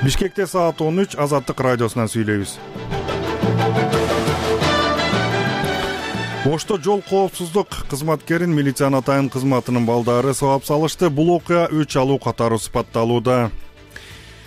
Бишкекте саат 13 Азаттык радиосунан сүйлөйбүз. Ошто жол коопсуздук кызматкерин милициянын атайын кызматынын балдары сабап салышты. Бул окуя өч алуу катары сыпатталууда.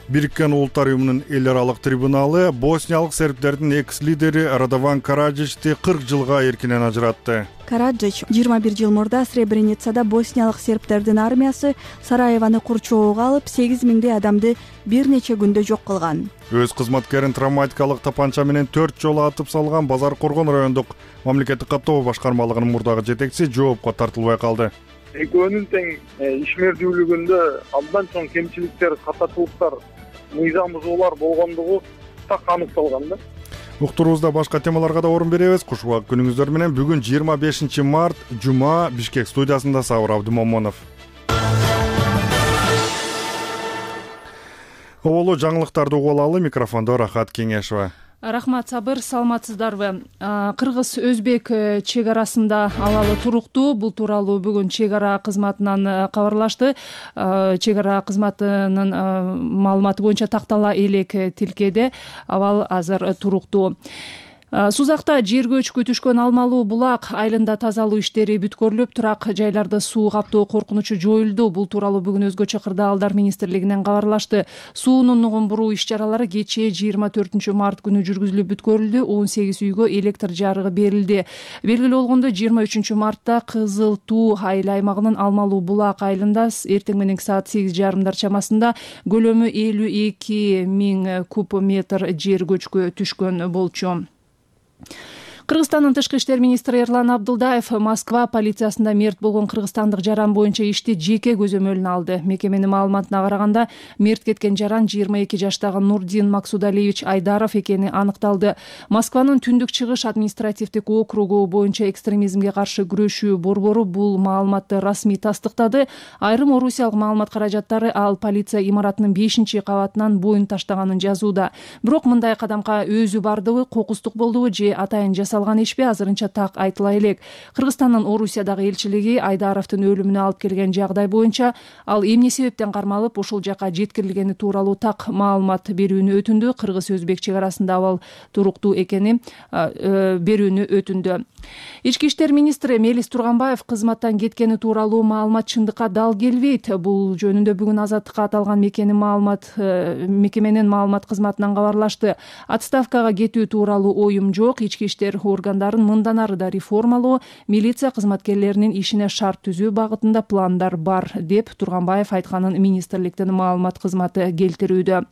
Бириккен Улуттар уюмунун эл аралык трибуналы босниялык сербтердин экс-лидери Радован Караджичти 40 жылга эркинен ажыратты. Караджич 21 жыл мурда Сребреницада босниялык сербтердин армиясы Сараевону курчоого алып, 8000 адамды бир нече күндө жок кылган. Өз кызматкерин травматикалык тапанча менен 4 жолу атып салган Базар Коргон райондук мамлекеттик каттоо башкармалыгынын мурдагы жетекчиси жоопко тартылбай калды. Экөөнүн тең ишмердүүлүгүндө абдан чоң кемчиликтер, катачылыктар, мыйзам бузуулар болгондугу так аныкталган да. Уктуруубузда башка темаларга да орун беребиз. Кушубак күнүңүздөр менен. Бүгүн 25 март жума, Бишкек студиясында Сабыр Абдымомонов. Оболу жаңылыктарды угуп алалы. Микрофондо Рахат Кеңешова. Рахмат, Сабыр, саламатсыздарбы? Кыргыз-Өзбек чек арасында алалы туруктуу. Бул тууралуу бүгүн чек ара кызматынан кабарлашты. Чек ара кызматынын маалыматы боюнча тактала элек тилкеде абал азыр туруктуу. Сузакта жерге көчкү түшкөн Алмалуу булак айылында тазалоо иштери бүткөрүлүп, турак жайларды суу каптоо коркунучу жоюлду. Бул тууралуу бүгүн Өзгөчө кырдаалдар министрлигинен кабарлашты. Суунун нугун буруу иш-чаралары кечээ 24 март күнү жүргүзүлүп бүткөрүлдү. 18 үйгө электр жарыгы берилди. Белгилүү болгондой 23 мартта Кызыл Туу айыл аймагынын Алмалуу булак айылында эртең мененки саат 8:30 чамасында көлөмү 52 000 куб метр жер көчкү түшкөн болчу. Кыргызстандын тышкы иштер министри Эрлан Абдылдаев Москва полициясында мерт болгон кыргызстандык жаран боюнча ишти жеке көзөмөлүнө алды. Мекеменин маалыматына караганда, мерт кеткен жаран 22 жаштагы Нурдин Максудалиевич Айдаров экени аныкталды. Москванын Түндүк Чыгыш административдик округу боюнча экстремизмге каршы күрөшүү борбору бул маалыматты расмий тастыктады. Айрым орусиялык маалымат каражаттары ал полиция имаратынын 5-кабатынан боюн таштаганын жазууда. Бирок мындай кадамга өзү бардыбы, кокустук болдубу же атайын жасалган ишпи азырынча так айтыла элек. Кыргызстандын Орусиядагы элчилиги Айдаровдун өлүмүнө алып келген жагдай боюнча ал эмне себептен кармалып ошол жака жеткирилгени тууралуу так маалымат берүүнү өтүндү. Кыргыз-Өзбек чек арасында абал туруктуу экени берүүнү өтүндү. Ички иштер министри Мелис Турганбаев кызматтан кеткени тууралуу маалымат чындыкка дал келбейт. Бул жөнүндө бүгүн Азаттыкка аталган мекеменин маалымат кызматынан кабарлашты. Отставкага кетүү тууралуу оюм жок. Ички иштер органдарын мындан ары да реформалоо, милиция кызматкерлеринин ишине шарт түзүү багытында пландар бар, деп Турганбаев айтканын министрликтин маалымат кызматы келтирүүдө.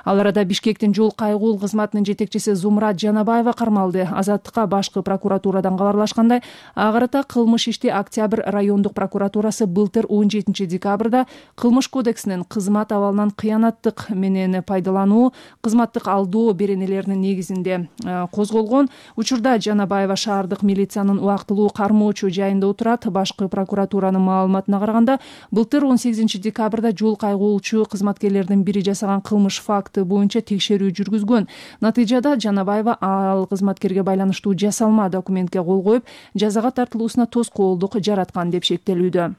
Ал арада Бишкектин жол кайгуул кызматынын жетекчиси Зумрат Жанабаева кармалды. Азаттыкка башкы прокуратурадан кабарлашкандай, агырата кылмыш ишти Октябрь райондук прокуратурасы былтыр 17 декабрда кылмыш кодексинин кызмат абалынан кыянаттык менен пайдалануу, кызматтык алдоо беренелеринин негизинде козголгон. Учурда Жанабаева шаардык милициянын убактылуу кармоочу жайында отурат. Башкы прокуратуранын маалыматына караганда, былтыр 18 декабрда жол кайгуулчу кызматкерлердин бири жасаган кылмыш факты боюнча текшерүү жүргүзгөн. Натыйжада Жанабаева ал кызматкерге байланыштуу жасалма документке кол коюп, жазага тартылуусуна тоскоолдук жараткан деп шектелүүдө.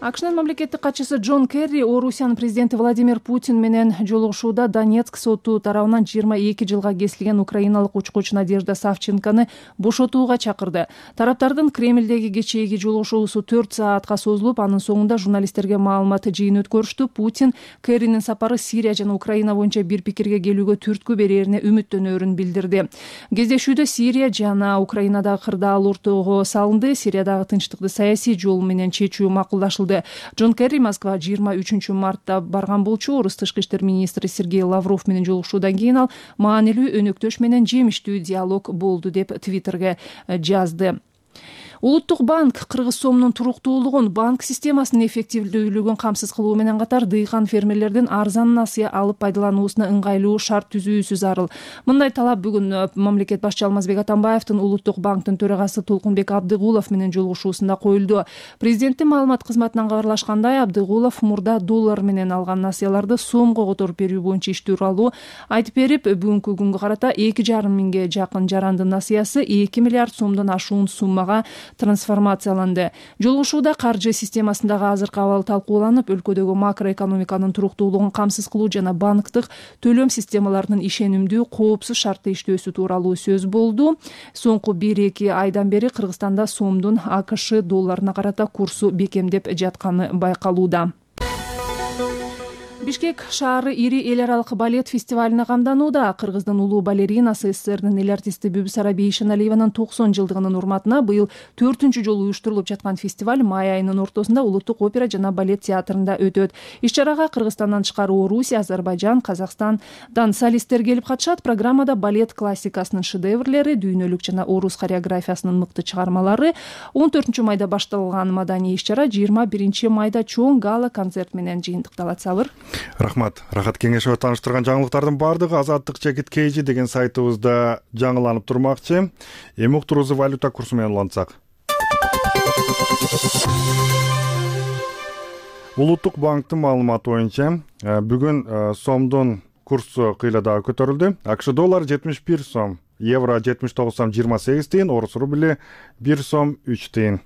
АКШнын мамлекеттик катчысы Джон Керри Орусиянын президенти Владимир Путин менен жолугушууда Донецк соту тарабынан 22 жылга кесилген украиналык учкуч Надежда Савченкону бошотууга чакырды. Тараптардын Кремлдеги кечээги жолугушуусу 4 саатка созулуп, анын соңунда журналисттерге маалымат жыйын өткөрүштү. Путин Керринин сапары Сирия жана Украина боюнча бир пикирге келүүгө түрткү берерине үмүттөнөрүн билдирди. Кездешүүдө Сирия жана Украинадагы кырдаал ортого салынды. Сириядагы тынчтыкты саясий жол менен чечүү макулдашылды. Джон Керри Москва 23 мартта барган болчу. Орус тышкы иштер министри Сергей Лавров менен жолугушуудан кийин ал маанилүү өнөктөш менен жемиштүү диалог болду деп Твиттерге жазды. Улуттук банк кыргыз сомунун туруктуулугун, банк системасынын эффективдүүлүгүн камсыз кылуу менен катар дыйкан фермерлердин арзан насыя алып пайдалануусуна ыңгайлуу шарт түзүүсү зарыл. Мындай талап бүгүн мамлекет башчы Алмазбек Атамбаевдин Улуттук банктын төрагасы Толкунбек Абдыгулов менен жолугушуусунда коюлду. Президенттин маалымат кызматынан кабарлашкандай, Абдыгулов мурда доллар менен алган насыяларды сомго которуп берүү боюнча иш тууралуу айтып берип, бүгүнкү күнгө карата 2,5 миңге жакын жарандын насыясы 2 миллиард сомдон ашуун суммага трансформацияланды. Жолугушууда каржы системасындагы азыркы абал талкууланып, өлкөдөгү макроэкономиканын туруктуулугун камсыз кылуу жана банктык төлөм системаларынын ишенимдүү, коопсуз шартта иштөөсү тууралуу сөз болду. Соңку 1-2 айдан бери Кыргызстанда сомдун АКШ долларына карата курсу бекемдеп жатканы байкалууда. Бишкек шаары ири эл аралык балет фестивалине камданууда. Кыргыздын улуу балеринасы, СССРдин эл артисти Бүбүсара Бейшеналиеванын 90 жылдыгынын урматына быйыл 4-чү жолу уюштурулуп жаткан фестиваль май айынын ортосунда Улуттук опера жана балет театрында өтөт. Иш-чарага Кыргызстандан тышкары Орусия, Азербайжан, Казакстандан солисттер келип катышат. Программада балет классикасынын шедеврлери, дүйнөлүк жана орус хореографиясынын мыкты чыгармалары. 14 майда башталган маданий иш-чара 21 майда чоң гала концерт менен жыйынтыкталат. Сабыр. Рахмат. Рахат Кеңешова тааныштырган жаңылыктардын баардыгы Азаттык Чекит KG деген сайтыбызда жаңыланып турмакчы. Эми уктуруубузду валюта курсу менен улантсак. Улуттук банктын маалыматы боюнча бүгүн сомдун курсу кыйла дагы көтөрүлдү. АКШ доллары 71 сом, евро 79 сом 28 тыйын, орус рубли 1 сом 3 тыйын.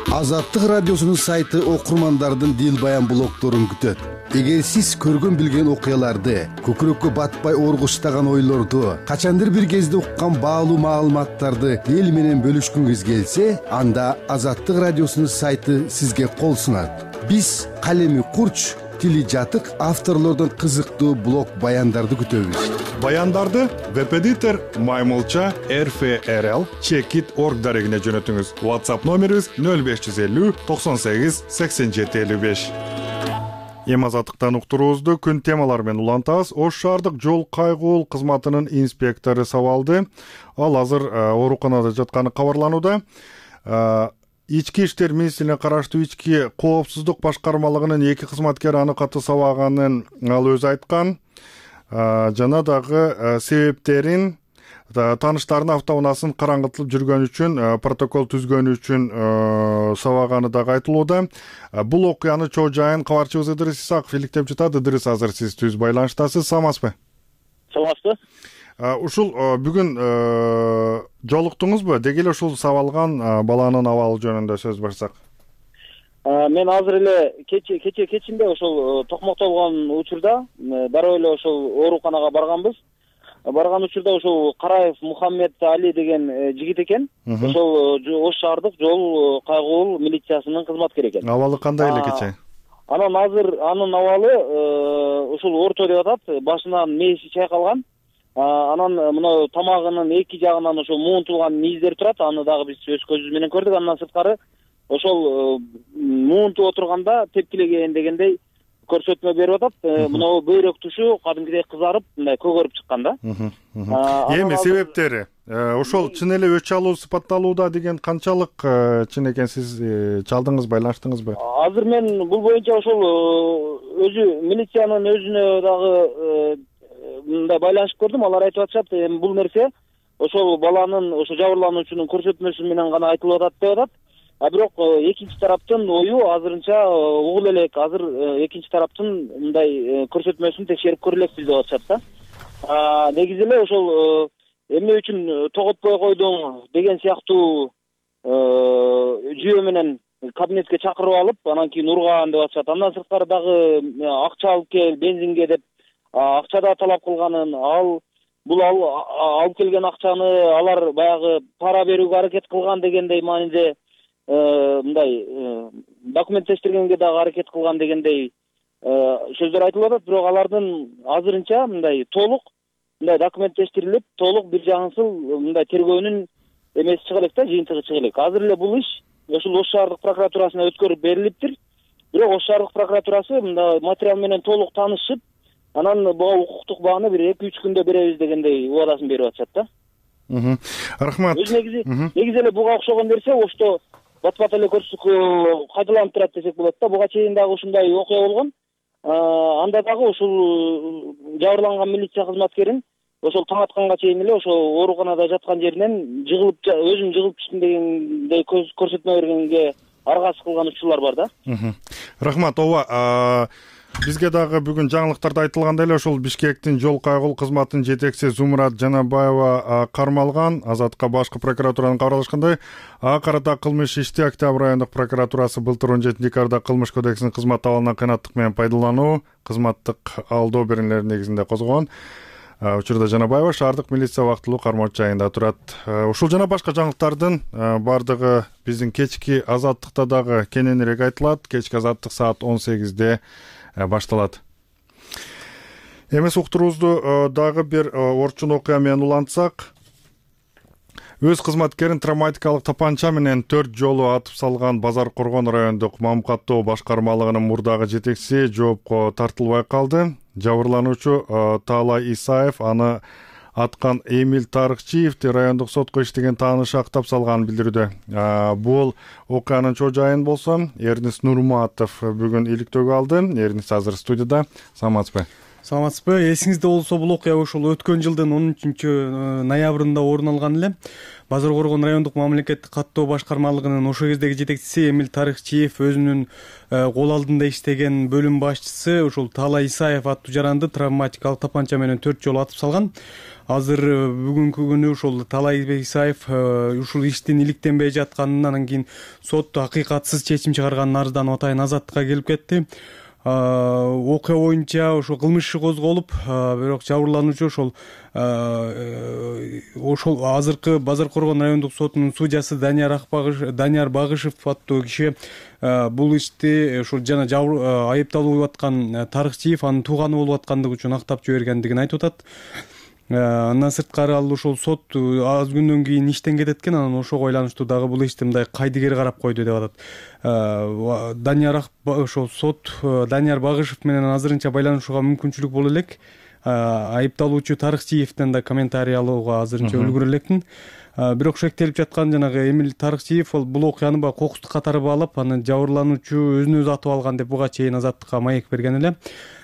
Азаттык радиосунун сайты окурмандардын дил баян блогторун күтөт. Эгер сиз көргөн билген окуяларды, көкүрөккө батпай оргуштаган ойлорду, качандыр бир кезде уккан баалуу маалыматтарды эл менен бөлүшкүңүз келсе, анда Азаттык радиосунун сайты сизге кол сунат. Биз калеми курч, тили жатык авторлордун кызыктуу блог баяндарды күтөбүз. Баяндарды веб-эдитор Маймылча RFRL Chekit.org дарегине жөнөтүңүз. WhatsApp номерибиз 0550 98 87 55. Эми Азаттыктан уктуруубузду күн темалары менен улантабыз. Ош шаардык жол кайгуул кызматынын инспектору сабалды. Ал азыр ооруканада жатканы кабарланууда. Ички иштер министрлигине караштуу ички коопсуздук башкармалыгынын 2 кызматкери аны катуу сабаганын ал өзү айткан. Жана дагы себептерин тааныштарынын автоунаасын караңгытылып жүргөн үчүн, протокол түзгөн үчүн сабаганы дагы айтылууда. Бул окуяны чоо жайын кабарчыбыз Ыдырыс Исаков иликтеп жатат. Ыдырыс, азыр сиз түз байланыштасыз. Саламатсызбы? Саламатсызбы. Ушул бүгүн жолуктуңузбу? Деги эле ушул сабалган баланын абалы жөнүндө сөз барсак. Мен азыр эле кечинде ошол токмоктолгон учурда дароо эле ошол ооруканага барганбыз. Барган учурда ошол Караев Мухаммед Али деген жигит экен. Ошол Ош шаардык жол кайгуул милициясынын кызматкери экен. Абалы кандай эле кече? Анан азыр анын абалы ушул орто деп атат. Башынан мээси чайкалган. Анан мына тамагынын эки жагынан ошол муунтулган низдер турат. Аны дагы биз өз көзүбүз менен көрдүк. Андан сырткары ошол муунтуп отурганда тепкилеген дегендей көрсөтмө берип атат. Мына бөйрөк тушу кадимкидей кызарып, мындай көгөрүп чыккан да. Эми себептери ошол чын эле өч алуу сыпатталууда деген канчалык чын экен, сиз чалдыңыз, байланыштыңызбы? Азыр мен бул боюнча ошол өзү милициянын өзүнө дагы мындай байланышып көрдүм. Алар айтып атышат, эми бул нерсе ошол баланын, ошо жабырлануучунун көрсөтмөсү менен гана айтылып атат деп атат. Бирок экинчи тараптын ою азырынча угула элек. Азыр экинчи тараптын мындай көрсөтмөсүн текшерип көрөлекпиз деп атышат да. Негизи эле ошол эмне үчүн тоготпой койдуң деген сыяктуу жүйө менен кабинетке чакырып алып, анан кийин урган деп атышат. Андан сырткары дагы акча алып кел, бензинге деп акча да талап кылганын, бул алып келген акчаны алар баягы пара берүүгө аракет кылган дегендей мааниде мындай документтештиргенге дагы аракет кылган дегендей сөздөр айтылып атат. Бирок алардын азырынча мындай толук мындай документтештирилип, толук бир жагынсыл мындай тергөөнүн эмеси чыга элек да, жыйынтыгы чыга элек. Азыр эле бул иш ошол Ош шаардык прокуратурасына өткөрүп берилиптир. Бирок Ош шаардык прокуратурасы мындай материал менен толук таанышып, анан буга укуктук бааны бир 2-3 күндө беребиз дегендей убадасын берип атышат да. Рахмат. Негизи эле буга окшогон нерсе Ошто бат-бат эле кайталанып турат десек болот да. Буга чейин дагы ушундай окуя болгон. Анда дагы ушул жабырланган милиция кызматкерин ошол таң атканга чейин эле ошол ооруканада жаткан жеринен өзүм жыгылып түштүм дегендей көрсөтмө бергенге аргасыз кылган учурлар бар да. Рахмат. Ооба, Бизге дагы бүгүн жаңылыктарда айтылгандай эле ошол Бишкектин жол кайгыл кызматынын жетекчиси Зумурат Жанабаева кармалган. Азатка башкы прокуратуранын кабарлашкандай, ага карата кылмыш ишти Октябрь айындык прокуратурасы былтыр 17 декабрда кылмыш кодексинин кызмат абалынан кыйнаттык менен пайдалануу, кызматтык алдоо беренелери негизинде козгогон. Учурда Жанабаева шаардык милиция убактылуу кармоочу жайында турат. Ушул жана башка жаңылыктардын бардыгы биздин кечки Азаттыкта дагы кененирээк айтылат. Кечки Азаттык саат 18-де башталат. Эмес уктуруубузду дагы бир орчун окуя менен улантсак, өз кызматкерин травматикалык тапанча менен 4 жолу атып салган Базар Коргон райондук Мамкаттоо башкармалыгынын мурдагы жетекчиси жоопко тартылбай калды. Жабырлануучу Таалай Исаев аны аткан Эмиль Тарыкчиевди райондук сотко иштеген таанышы актап салганын билдирүүдө. Бул окуянын чоо жайын болсо Эрнис Нурматов бүгүн иликтөөгө алды. Эрнис азыр студияда. Саламатсызбы? Саламатсызбы? Эсиңизде болсо бул окуя ошол өткөн жылдын 13 ноябрында орун алган эле. Базар Коргон райондук мамлекеттик каттоо башкармалыгынын ошол кездеги жетекчиси Эмиль Тарыкчиев өзүнүн кол алдында иштеген бөлүм башчысы ошол Таалай Исаев аттуу жаранды травматикалык тапанча менен 4 жолу атып салган. Азыр бүгүнкү күнү ошол Таалай Исаев ушул иштин иликтенбей жатканын, анан кийин сот акыйкатсыз чечим чыгарганын арызданып атайын Азаттыкка келип кетти. Окуя боюнча ошол кылмыш иши козголуп, бирок жабырлануучу ошол азыркы Базар Коргон райондук сотунун судьясы Данияр Багышев аттуу киши бул ишти ошол жана айыпталуу болуп аткан Тарыкчиев анын тууганы болуп аткандыгы үчүн актап жибергендигин айтып атат. Андан сырткары ал ошол сот аз күндөн кийин иштен кетет экен, анан ошого байланыштуу дагы бул ишти мындай кайдыгер карап койду деп атат. Ошол сот Данияр Багышев менен азырынча байланышууга мүмкүнчүлүк боло элек. Айыпталуучу Тарыкчиевден да комментарий алууга азырынча үлгүрө элекмин. Бирок шектелип жаткан жанагы Эмиль Тарыкчиев бул окуяны кокустук катары баалап, аны жабырлануучу өзүн өзү атып алган деп буга чейин Азаттыкка маек берген эле.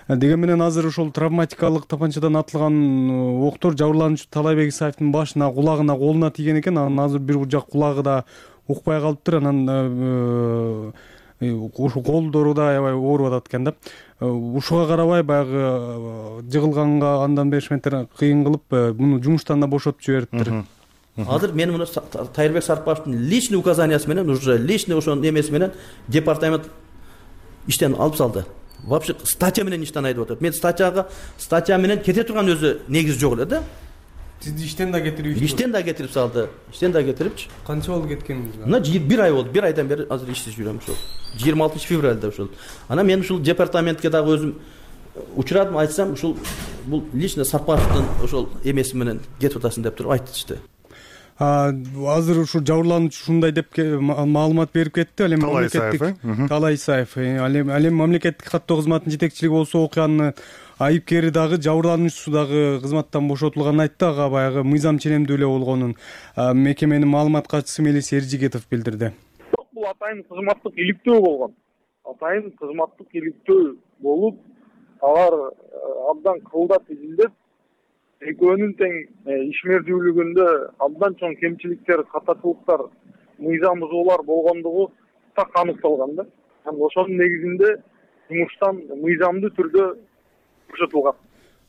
Деген менен азыр ошол травматикалык тапанчадан атылган октор жабырлануучу Таалайбек Исаевдин башына, кулагына, колуна тиген экен. Анан азыр бир жак кулагы да укпай калыптыр. Анан ошол колдору да аябай ооруп атат экен да. Ушуга карабай баягы жыгылганга андан беришметтер кыйын кылып, муну жумуштан да бошотуп жибериптир. Азыр мен муну Тайырбек Сарпаевдин личный указаниясы менен, уже личный ошонун немеси менен департамент иштен алып салды. Вообще статья менен иштен айтып атат. Мен статья менен кете турган өзү негизи жок эле да. Сизди иштен да кетирип кетирип салды. Иштен да кетирипчи. Канча болду кеткениңиз? Мына 1 ай болду. 1 айдан бери азыр иштеп жүрөм ошол. 26 февралда ошол. Анан мен ушул департаментке дагы өзүм учурадым, айтсам ушул бул лично Сарпаевдин ошол эмеси менен кетип атасың деп туруп айтышты. Азыр ушу жабырлануучу ушундай деп маалымат берип кетти. Ал эми Таалай Исаев, ал эми мамлекеттик каттоо кызматынын жетекчилиги болсо окуянын айыпкери дагы жабырлануучусу дагы кызматтан бошотулганын айтты. Ага баягы мыйзам ченемдүү эле болгонун мекеменин маалымат катчысы Мелис Эржигетов билдирди. Бул атайын кызматтык иликтөө болгон. Атайын кызматтык иликтөө болуп, алар абдан кылдат изилдеп, экөөнүн тең ишмердүүлүгүндө абдан чоң кемчиликтер, катачылыктар, мыйзам бузуулар болгондугу так аныкталган да. Ошонун негизинде жумуштан мыйзамдуу түрдө бошотулган.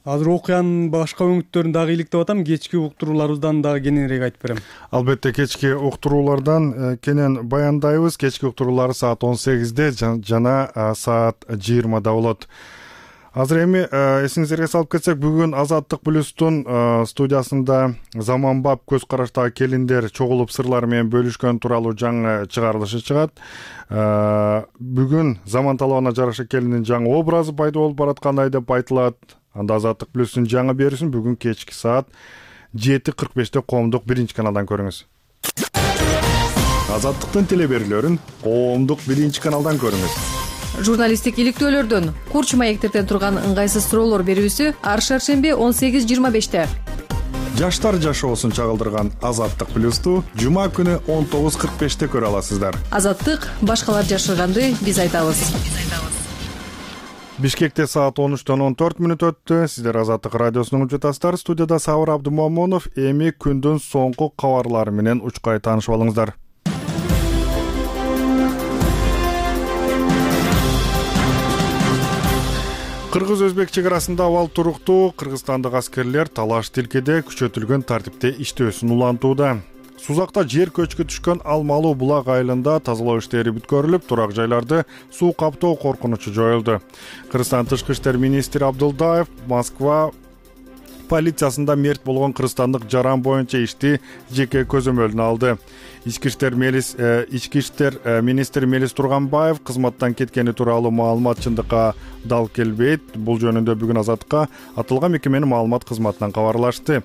Азыр окуянын башка өңүттөрүн дагы иликтеп атам. Кечки уктурууларыбыздан дагы кененирээк айтып берем. Албетте кечки уктуруулардан кенен баяндайбыз. Кечки уктуруулар саат 18-де жана саат 20-да болот. Азыр эми эсиңиздерге салып кетсек, бүгүн Азаттык плюстун студиясында заманбап көз караштагы келиндер чогулуп сырлары менен бөлүшкөн тууралуу жаңы чыгарылышы чыгат. Бүгүн заман талабына жараша келиндин жаңы образы пайда болуп бараткандай деп айтылат. Анда Азаттык плюстун жаңы берүүсүн бүгүн кечки саат 7:45-те коомдук 1-каналдан көрүңүз. Азаттыктын телеберүүлөрүн коомдук 1-каналдан көрүңүз. Журналисттик иликтөөлөрдөн курч маектерден турган ыңгайсыз суроолор берүүсү ар шаршемби 18:25-те. Жаштар жашоосун чагылдырган Азаттык плюсту жума күнү 19:45-те көрө аласыздар. Азаттык башкалар жашырганды биз айтабыз. Бишкекте саат 13:14 өттү. Сиздер Азаттык радиосун угуп жатасыздар. Студияда Сабыр Абдумомунов. Эми күндүн соңку кабарлары менен учкай таанышып алыңыздар. Кыргыз-өзбек чек арасында абал туруктуу. Кыргызстандык аскерлер талаш тилкеде күчөтүлгөн тартипте иштөөсүн улантууда. Сузакта жер көчкү түшкөн Алмалуу булак айылында тазалоо иштери бүткөрүлүп, турак жайларды суу каптоо коркунучу жоюлду. Кыргызстан тышкы иштер министри Абдылдаев Москва полициясында мерт болгон кыргызстандык жаран боюнча ишти жеке көзөмөлүнө алды. Ички иштер министри Мелис Турганбаев кызматтан кеткени тууралуу маалымат чындыкка дал келбейт. Бул жөнүндө бүгүн Азаттыкка аталган мекеменин маалымат кызматынан кабарлашты.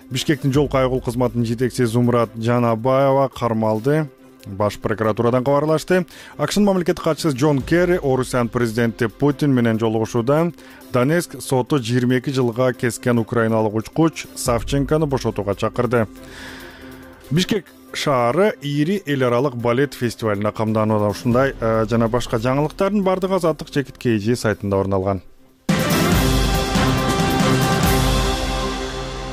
Бишкектин жол кайгыл кызматынын жетекчиси Зумрат Жанабаева кармалды. Баш прокуратурадан кабарлашты. АКШнын мамлекеттик катчысы Джон Керри Орусиянын президенти Путин менен жолугушууда Донецк соту 22 жылга кескен украиналык учкуч Савченкону бошотууга чакырды. Бишкек шаары ири эл аралык балет фестивалына камданууда. Ушундай жана башка жаңылыктардын бардыгы Азаттык Чекит KG сайтында орун алган.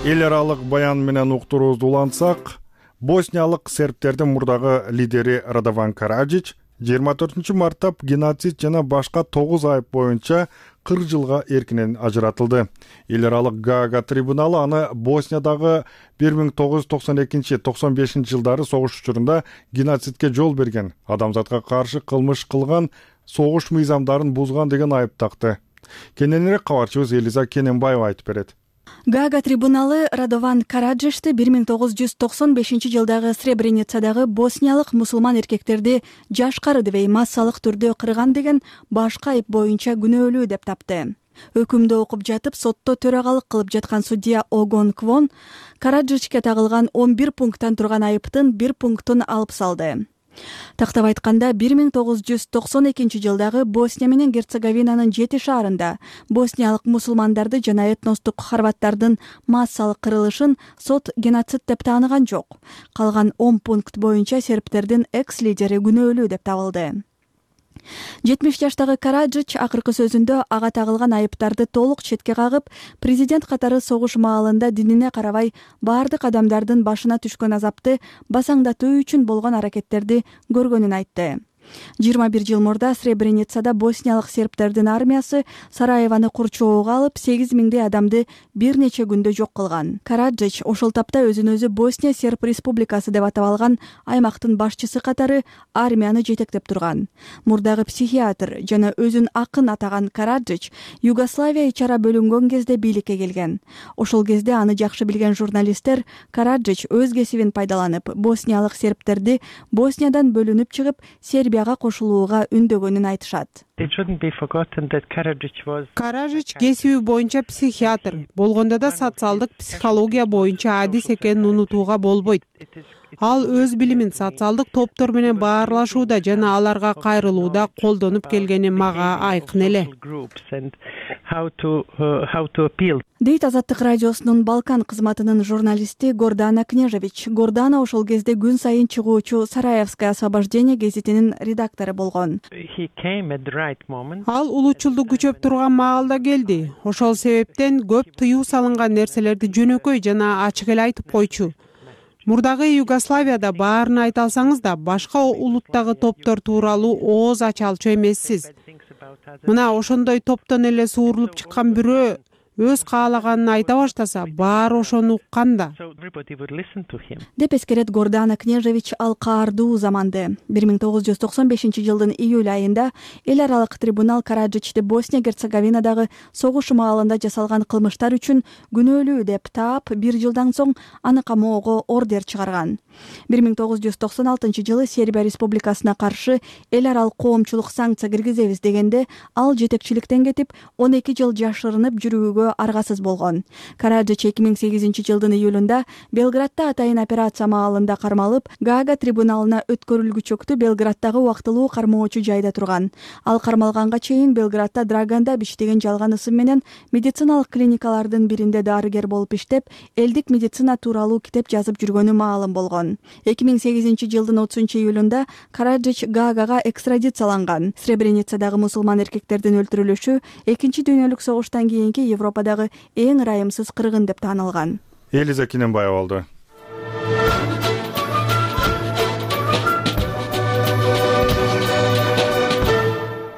Эл аралык баян менен уктуруубузду улантсак, босниялык сербтердин мурдагы лидери Радован Караджич 24 мартта геноцид жана башка 9 айып боюнча 40 жылга эркинен ажыратылды. Эл аралык Гаага трибуналы аны Босниядагы 1992-95 жылдары согуш учурунда геноцидке жол берген, адамзатка каршы кылмыш кылган, согуш мыйзамдарын бузган деген айып такты. Кененирээк кабарчыбыз Элиза Кененбаева айтып берет. Гаага трибуналы Радован Караджичти 1995 жылдагы Сребреницадагы босниялык мусулман эркектерди жашкары дебей массалык түрдө кырган деген башка айып боюнча күнөөлүү деп тапты. Өкүмдү окуп жатып сотто төрагалык кылып жаткан судья Огон Квон Караджичке тагылган 11 пункттан турган айыптын 1 пунктун алып салды. Тактап айтканда 1992 жылдагы Босния менен Герцеговинанын 7 шаарында босниялык мусулмандарды жана этностук хорваттардын массалык кырылышын сот геноцид деп тааныган жок. Калган 10 пункт боюнча сербтердин экс-лидери күнөөлүү деп табылды. 70 жаштагы Караджич акыркы сөзүндө ага тагылган айыптарды толук четке кагып, президент катары согуш маалында динине карабай баардык адамдардын башына түшкөн азапты басаңдатуу үчүн болгон аракеттерди көргөнүн айтты. 21 жыл мурда Сребреницада босниялык сербтердин армиясы Сараеваны курчоого алып 8000 адамды бир нече күндө жок кылган. Караджич ошол тапта өзүн өзү Босния Серб Республикасы деп атап алган аймактын башчысы катары армияны жетектеп турган. Мурдагы психиатр жана өзүн акын атаган Караджич Югославия ичара бөлүнгөн кезде бийликке келген. Ошол кезде аны жакшы билген журналисттер Караджич өз кесибин пайдаланып, босниялык сербтерди Босниядан бөлүнүп чыгып, Сербияга кошулууга үндөгөнүн айтышат. Караджич кесиби боюнча психиатр, болгондо да социалдык психология боюнча адис экенин унутууга болбойт. Ал өз билимин социалдык топтор менен баарлашууда жана аларга кайрылууда колдонуп келгени мага айкын эле. Дейт Азаттык радиосунун Балкан кызматынын журналисти Гордана Кнежевич. Гордана ошол кезде күн сайын чыгуучу Сараевское освобождение гезитинин редактору болгон. Ал улуучулду күчөп турган маалда келди. Ошол себептен көп тыюу салынган нерселерди жөнөкөй жана ачык эле айтып койчу. Мурдагы Югославияда баарын айта алсаңыз да, башка улуттагы топтор тууралуу ооз ача алчу эмессиз. Мына ошондой топтон эле суурулуп чыккан бирөө өз каалаганын айта баштаса, баары ошону уккан да. Деп эскерет Гордана Кнежевич ал каардуу заманды. 1995 жылдын июль айында эл аралык трибунал Караджичти Босния-Герцеговинадагы согуш маалында жасалган кылмыштар үчүн күнөөлүү деп таап, 1 жылдан соң аны камоого ордер чыгарган. 1996 жылы Сербия Республикасына каршы эл аралык коомчулук санкция киргизебиз дегенде, ал жетекчиликтен кетип, 12 жыл жашырынып жүрүүгө аргасыз болгон. Караджич 2008 жылдын июлунда Белградда атайын операция маалында кармалып, Гаага трибуналына өткөрүлгүчөктү Белграддагы убактылуу кармоочу жайда турган. Ал кармалганга чейин Белградда Драганда Бич деген жалган ысым менен медициналык клиникалардын биринде дарыгер болуп иштеп, элдик медицина тууралуу китеп жазып жүргөнү маалым болгон. 2008 жылдын 30 июлунда Караджич Гаагага экстрадицияланган. Сребреницадагы мусулман эркектердин өлтүрүлүшү Экинчи дүйнөлүк согуштан кийинки Европадагы эң ырайымсыз кыргын деп таанылган. Элиза Кененбаева болду.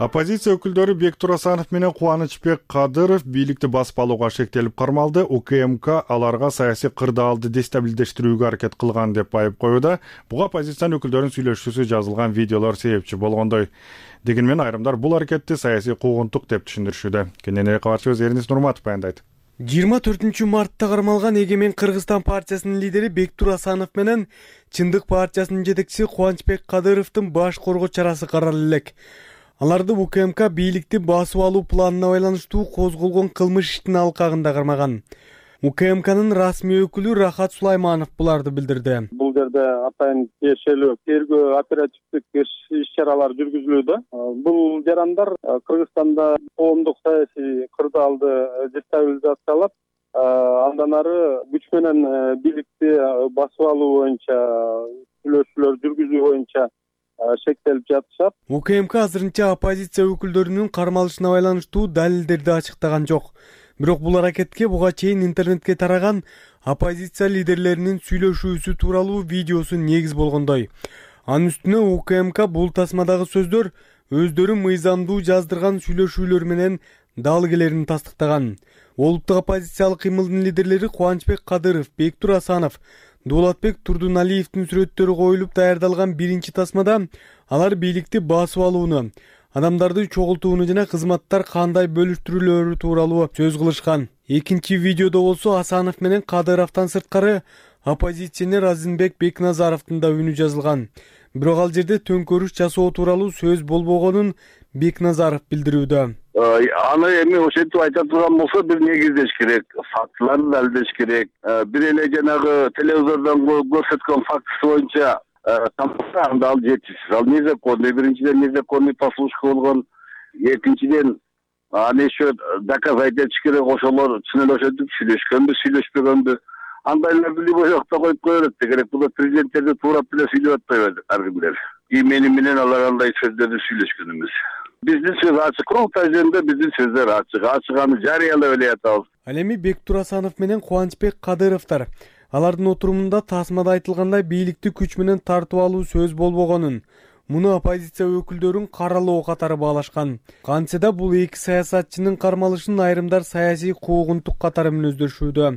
Оппозиция өкүлдөрү Бектур Асанов менен Кубанычбек Кадыров бийликти басып алууга шектелип кармалды. УКМК аларга саясий кырдаалды дестабилдештирүүгө аракет кылган деп айып коюуда. Буга оппозициянын өкүлдөрүнүн сүйлөшүүсү жазылган видеолор себепчи болгондой. Дегенмен айрымдар бул аракетти саясий куугунтук деп түшүндүрүшүүдө. Кененирээк кабарчыбыз Эрнис Нурматов баяндайт. 24 мартта кармалган Эгемен Кыргызстан партиясынын лидери Бектур Асанов менен Чындык партиясынын жетекчиси Кубанычбек Кадыровдун баш коргоо чарасы каралып элек. Аларды УКМК бийликти басып алуу планына байланыштуу козголгон кылмыш иштин алкагында кармаган. УКМКнын расмий өкүлү Рахат Сулайманов буларды билдирди. Бул жерде атайын тиешелүү тергөө оперативдик иш-чаралар жүргүзүлүүдө. Бул жарандар Кыргызстанда коомдук саясий кырдаалды дестабилизациялап, андан ары күч менен бийликти басып алуу боюнча сүйлөшүүлөр жүргүзүү боюнча шектелип жатышат. УКМК азырынча оппозиция өкүлдөрүнүн кармалышына байланыштуу далилдерди ачыктаган жок. Бирок бул аракетке буга чейин интернетке тараган оппозиция лидерлеринин сүйлөшүүсү тууралуу видеосу негиз болгондой. Анын үстүнө УКМК бул тасмадагы сөздөр өздөрү мыйзамдуу жаздырган сүйлөшүүлөр менен дал келерин тастыктаган. Олуттук оппозициялык кыймылдын лидерлери Кубанычбек Кадыров, Бектур Асанов, Дулатбек Турдуналиевдин сүрөттөрү коюлуп даярдалган биринчи тасмада алар бийликти басып алууну, адамдарды чогултууну жана кызматтар кандай бөлүштүрүлөөрү тууралуу сөз кылышкан. Экинчи видеодо болсо Асанов менен Кадыровдон сырткары оппозиционер Азимбек Бекназаровдун да үнү жазылган. Бирок ал жерде төңкөрүш жасоо тууралуу сөз болбогонун Бекназаров билдирүүдө. Аны эми ошентип айта турган болсо бир негиздеш керек, фактыларды далилдеш керек. Бир эле жанагы телевизордон көрсөткөн фактысы боюнча анда ал жетишсиз. Ал незаконный, биринчиден незаконный послушка болгон, экинчиден аны еще доказать этиш керек, ошолор чын эле ошентип сүйлөшкөнбү, сүйлөшпөгөнбү. Андайларды любой жакта коюп кое берет керек. Бул президенттерди туурап эле сүйлөп атпайбы ар кимдер. Мени менен алар андай сөздөрдү сүйлөшкөн эмес. Биздин сөз ачык, курултай жөнүндө биздин сөздөр ачык, ачыганы жарыялап эле атабыз. Ал эми Бектур Асанов менен Кубанычбек Кадыровдор алардын отурумунда тасмада айтылгандай бийликти күч менен тартып алуу сөз болбогонун, муну оппозиция өкүлдөрүн каралоо катары баалашкан. Кантсе да бул эки саясатчынын кармалышын айрымдар саясий куугунтук катары мүнөздөшүүдө.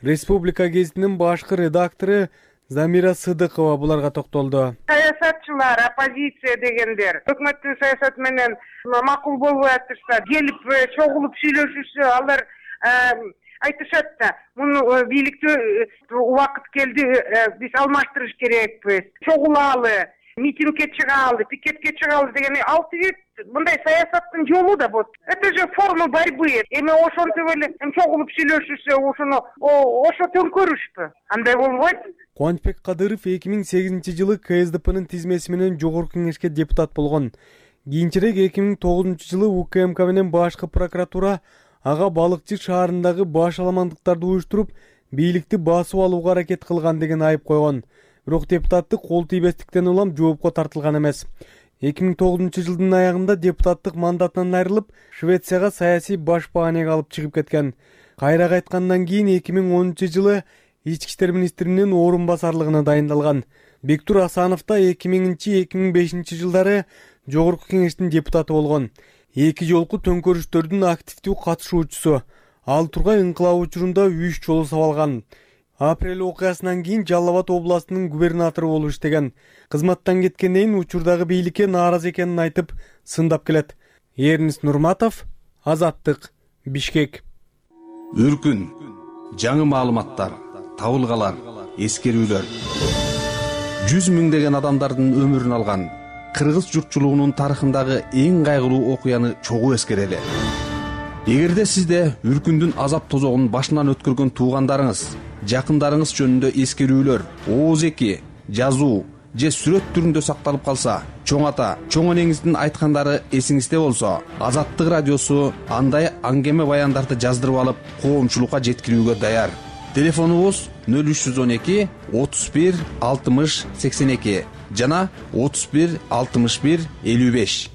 Республика гезитинин башкы редактору Замира Сыдыкова буларга токтолду. Саясатчылар, оппозиция дегендер өкмөттүн саясаты менен макул болбой атышса, келип чогулуп сүйлөшүшсө, алар айтышат да, муну бийликти убакыт келди, биз алмаштырыш керекпиз, чогулалы, митингге чыгалы, пикетке чыгалы деген алты мындай саясаттын жолу да бул. Это же форма борьбы. Эми ошентип эле чогулуп сүйлөшүшсө, ошо төңкөрүшпү? Андай болбойт. Кубанычбек Кадыров 2008-жылы КСДПнын тизмеси менен жогорку кеңешке депутат болгон. Кийинчерээк 2009-жылы УКМК менен башкы прокуратура ага балыкчы шаарындагы баш аламандыктарды уюштуруп, бийликти басып алууга аракет кылган деген айып койгон. Бирок депутаттык кол тийбестиктен улам жоопко тартылган эмес. 2009-жылдын аягында депутаттык мандатынан айрылып, Швецияга саясий баш бааneге алып чыгып кеткен. Кайра кайткандан кийин 2010-жылы ички иштер министринин орун басарлыгына дайындалган. Бектур Асанов да 2000-2005 жылдары жогорку кеңештин депутаты болгон. Эки жолку төңкөрүштөрдүн активдүү катышуучусу. Ал тургай ыңкылап учурунда 3 жолу сабалган. Апрель окуясынан кийин Жалал Абад областынын губернатору болуп иштеген. Кызматтан кеткенден кийин учурдагы бийликке нааразы экенин айтып, сындап келет. Эрнис Нурматов, Азаттык, Бишкек. Үркүн, жаңы маалыматтар, табылгалар, эскерүүлөр. 100 миңдеген адамдардын өмүрүн алган кыргыз журтчулугунун тарыхындагы эң кайгылуу окуяны чогуу эскерели. Эгерде сизде үркүндүн азап тозогун башынан өткөргөн туугандарыңыз, жакындарыңыз жөнүндө эскерүүлөр, ооз-эки, жазуу же сүрөт түрүндө сакталып калса, чоң ата, чоң энеңиздин айткандары эсиңизде болсо, Азаттык радиосу андай аңгеме баяндарды жаздырып алып, коомчулукка жеткирүүгө даяр. Телефонубуз 0312 31 60 82 жана 31 61 55.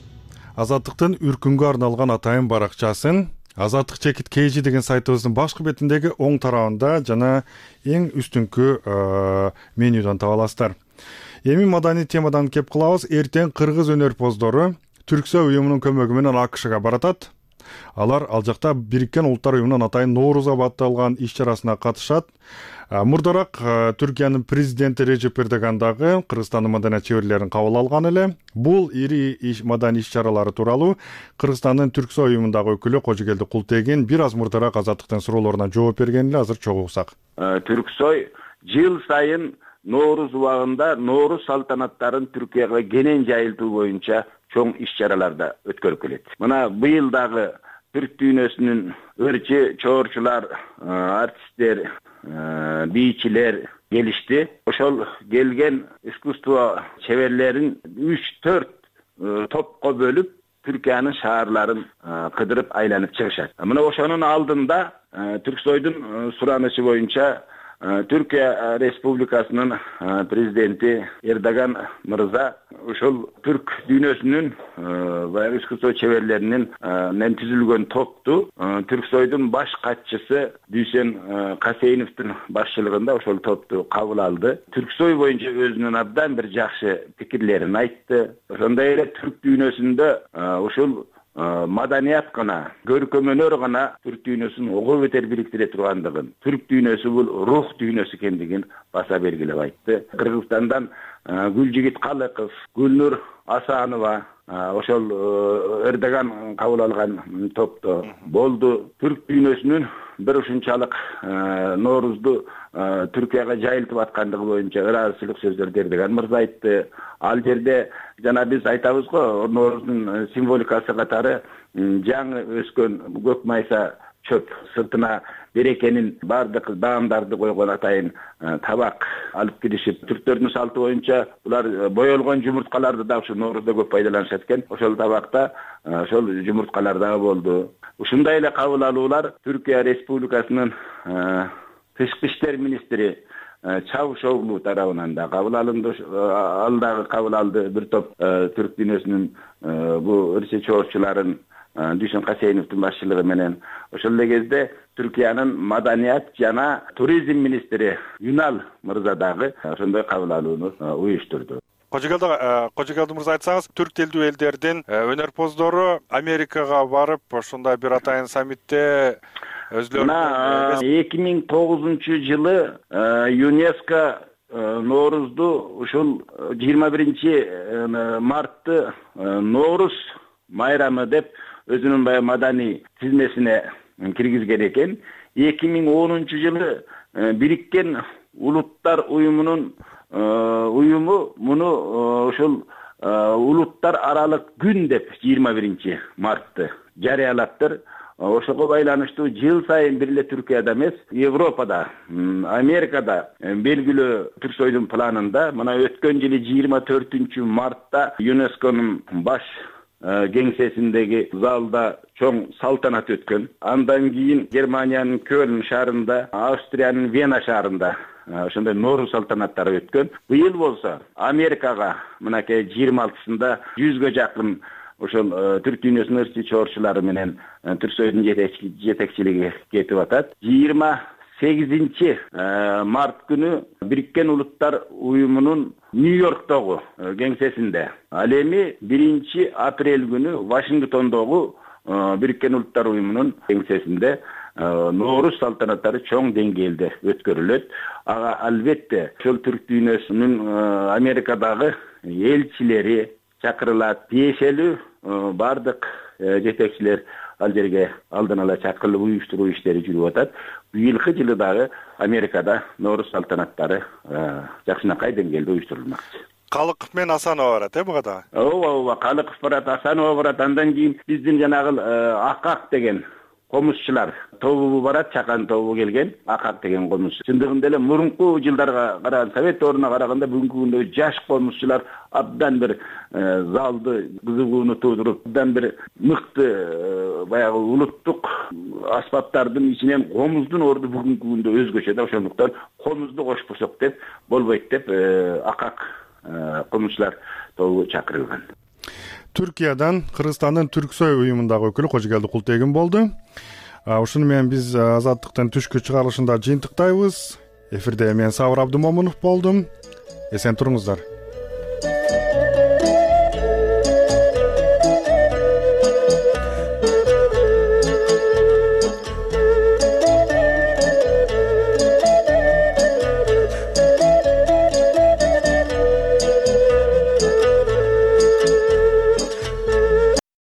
Азаттыктын үркүнгө арналган атайын баракчасын Азаттык чекит KG деген сайтыбыздын башкы бетиндеги оң тарабында жана эң үстүңкү менюдан таба аласыздар. Эми маданий темадан кеп кылабыз. Эртең кыргыз өнөрпоздору Түрксой уюмунун көмөгү менен АКШга баратат. Алар ал жакта Бириккен Улуттар уюмунун атайын Ноорузга батталган иш-чарасына катышат. Мурдараак Түркиянын президенти Режеп Эрдоган дагы Кыргызстандын маданият чеберлерин кабыл алган эле. Бул ири маданий иш-чаралары тууралуу Кыргызстандын Түрксой уюмундагы өкүлү Кожогелди Култегин бир аз мурдараак Азаттыктын суроолоруна жооп берген эле. Азыр чогуу угсак. Түрксой жыл сайын Ноорус убагында Ноорус салтанаттарын Түркияга кенен жайылтуу боюнча чоң иш-чараларда өткөрүп келет. Мына быйыл дагы түрк дүйнөсүнүн ырчы, чоорчулар, артисттер, бийчилер келишти. Ошол келген искусство чеберлерин 3-4 топко бөлүп Түркиянын шаарларын кыдырып айланып чыгышат. Мына ошонун алдында Түрксойдун суранычы боюнча Түркия Республикасынын президенти Эрдоган мырза ошол түрк дүйнөсүнүн баягы искусство чеберлеринин менен түзүлгөн топту Түрксойдун баш катчысы Дүйсен Касейновдун башчылыгында ошол топту кабыл алды. Түрксой боюнча өзүнүн абдан бир жакшы пикирлерин айтты. Ошондой эле түрк дүйнөсүндө ушул маданият гана, көркөмөнөр гана түрк дүйнөсүн ого бетер бириктире тургандыгын, түрк дүйнөсү бул рух дүйнөсү экендигин баса белгилеп айтты. Кыргызстандан Гүлжигит Калыков, Гүлнур Асанова ошол Эрдоган кабыл алган топто болду. Түрк дүйнөсүнүн бир ушунчалык Ноорузду Түркияга жайылтып аткандыгы боюнча ыраазычылык сөздөрдү Эрдоган мырза айтты. Ал жерде жана биз айтабыз го, Ноорузун символикасы катары жаңы өскөн көк майса чөп сыртына берекенин бардык даамдарды койгон атайын табак алып киришип, түрктөрдүн салты боюнча булар боелгон жумурткаларды да ушу Ноорузда көп пайдаланышат экен. Ошол табакта ошол жумурткалар дагы болду. Ушундай эле кабыл алуулар Түркия Республикасынын тышкы иштер министри Чавушоглу тарабынан да кабыл алынды. Ал дагы кабыл алды. Бир топ түрк дүйнөсүнүн бу ырчы чоорчуларын Дүйсен Касейновдун башчылыгы менен. Ошол эле кезде Түркиянын маданият жана туризм министри Юнал мырза дагы ошондой кабыл алууну уюштурду. Кожогелди мырза, айтсаңыз, түрк тилдүү элдердин өнөрпоздору Америкага барып, ошондой бир атайын саммитте өзлөрүнүн 2009-жылы ЮНЕСКО Ноорузду ушул 21 мартты Ноорус майрамы деп өзүнүн баягы маданий тизмесине киргизген экен. 2010-жылы Бириккен Улуттар уюмунун уюму муну ошол улуттар аралык күн деп 21 мартты жарыялаптыр. Ошого байланыштуу жыл сайын бир эле Түркияда эмес, Европада, Америкада белгилүү Түрксойдун планында мына өткөн жылы 24 мартта ЮНЕСКОнун баш кеңсесиндеги залда чоң салтанат өткөн. Андан кийин Германиянын Кёлн шаарында, Австриянын Вена шаарында ошондой Ноорус салтанаттары өткөн. Быйыл болсо Америкага мынакей 26-сында 100гө жакын ошол түрк дүйнөсүнүн ырчы чоорчулары менен Түрксойдун жетекчилиги кетип атат. 28 март күнү Бириккен Улуттар уюмунун Нью-Йорктогу кеңсесинде, ал эми 1 апрель күнү Вашингтондогу Бириккен Улуттар уюмунун кеңсесинде Ноорус салтанаттары чоң деңгээлде өткөрүлөт. Албетте, ошол түрк дүйнөсүнүн Америкадагы элчилери чакырылат. Тиешелүү бардык жетекчилер ал жерге алдан ала чакырылып уюштуруу иштери жүрүп атат. Быйылкы жылы дагы Америкада Ноорус салтанаттары жакшынакай деңгээлде уюштурулмакчы. Калыков менен Асанова барат, буга да? Ооба, Калыков барат, Асанова барат. Андан кийин биздин жанагы Акак деген комузчулар тобу барат, Чакан тобу келген, Акак деген комузчу. Чындыгында эле мурунку жылдарга караганда, Совет дооруна караганда бүгүнкү күндө жаш комузчулар абдан бир залды кызыгууну туудуруп, абдан бир мыкты баягы улуттук аспаптардын ичинен комуздун орду бүгүнкү күндө өзгөчө да. Ошондуктан комузду кошпосок деп болбойт деп Акак комузчулар тобу чакырылган. Түркиядан Кыргызстандын Түрксой уюмундагы өкүлү Кожогелди Култегин болду. Ушуну менен биз Азаттыктын түшкү чыгарылышында жыйынтыктайбыз. Эфирде мен Сабыр Абдымомунов болдум. Эсен туруңуздар.